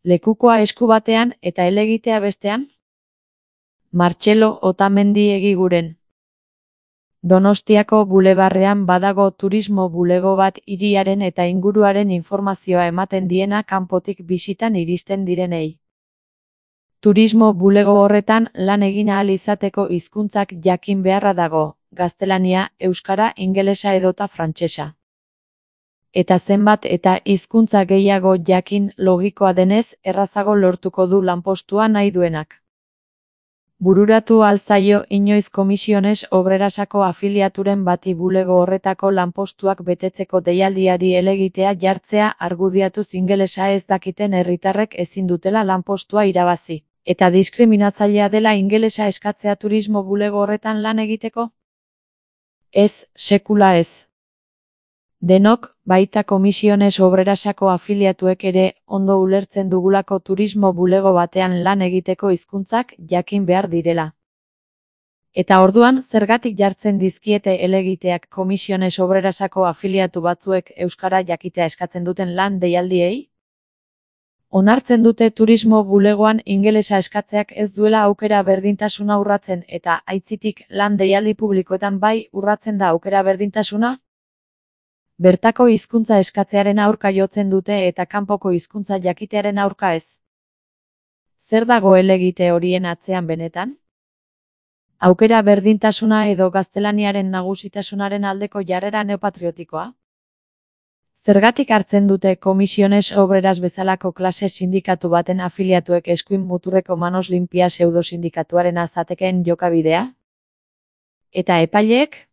Lekukoa esku batean eta helegitea bestean? Martxelo Otamendi Egiguren. Donostiako bulebarrean badago turismo bulego bat hiriaren eta inguruaren informazioa ematen diena kanpotik bisitan iristen direnei. Turismo bulego horretan lan egin ahal izateko hizkuntzak jakin beharra dago, gaztelania, euskara, ingelesa edota frantsesa. Eta zenbat eta hizkuntza gehiago jakin logikoa denez, errazago lortuko du lanpostua nahi duenak. Bururatu ahal zaio inoiz Komisiones Obrerasako afiliaturen bati bulego horretako lanpostuak betetzeko deialdiari helegitea jartzea argudiatuz ingelesa ez dakiten herritarrek ezin dutela lanpostua irabazi, eta diskriminatzailea dela ingelesa eskatzea turismo bulego horretan lan egiteko? Ez, sekula ez. Denok, baita Komisiones Obrerasako afiliatuek ere, ondo ulertzen dugulako turismo bulego batean lan egiteko hizkuntzak jakin behar direla. Eta orduan, zergatik jartzen dizkiete helegiteak Komisiones Obrerasako afiliatu batzuek euskara jakitea eskatzen duten lan deialdiei? Onartzen dute turismo bulegoan ingelesa eskatzeak ez duela aukera berdintasuna urratzen eta aitzitik lan deialdi publikoetan bai urratzen da aukera berdintasuna? Bertako hizkuntza eskatzearen aurka jotzen dute eta kanpoko hizkuntza jakitearen aurka ez. Zer dago helegite horien atzean benetan? Aukera berdintasuna edo gaztelaniaren nagusitasunaren aldeko jarrera neopatriotikoa? Zergatik hartzen dute Komisiones Obreras bezalako klase sindikatu baten afiliatuek eskuin muturreko manos limpia pseudosindikatuaren azatekeen jokabidea? Eta epaileek?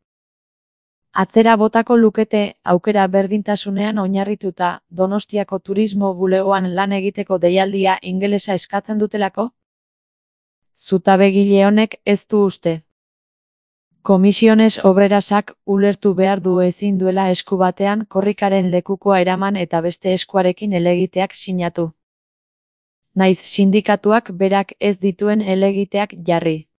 Atzera botako lukete, aukera berdintasunean oinarrituta, Donostiako turismo bulegoan lan egiteko deialdia ingelesa eskatzen dutelako? Zutabegile honek ez du uste. Komisiones Obrerasak ulertu behar du ezin duela esku batean korrikaren lekukoa eraman eta beste eskuarekin helegiteak sinatu. Naiz sindikatuak berak ez dituen helegiteak jarri.